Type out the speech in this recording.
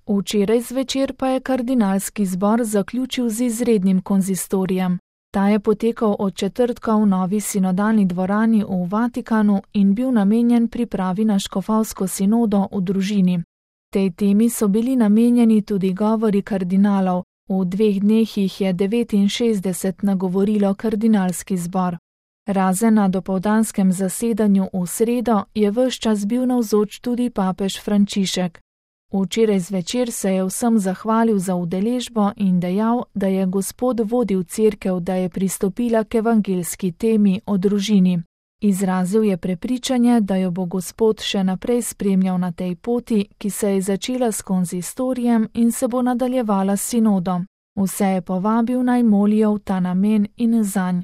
Včeraj zvečer pa je kardinalski zbor zaključil z izrednim konzistorijem. Ta je potekal od četrtka v novi sinodalni dvorani v Vatikanu in bil namenjen pripravi na škofovsko sinodo v družini. Tej temi so bili namenjeni tudi govori kardinalov, v 2 dneh jih je 69 nagovorilo kardinalski zbor. Razen na dopoldanskem zasedanju v sredo je ves čas bil navzoč tudi papež Frančišek. Včeraj zvečer se je vsem zahvalil za udeležbo in dejal, da je Gospod vodil cerkev, da je pristopila k evangeljski temi o družini. Izrazil je prepričanje, da jo bo Gospod še naprej spremljal na tej poti, ki se je začela s konzistorijem in se bo nadaljevala s sinodom. Vse je povabil naj molijo v ta namen in zanj,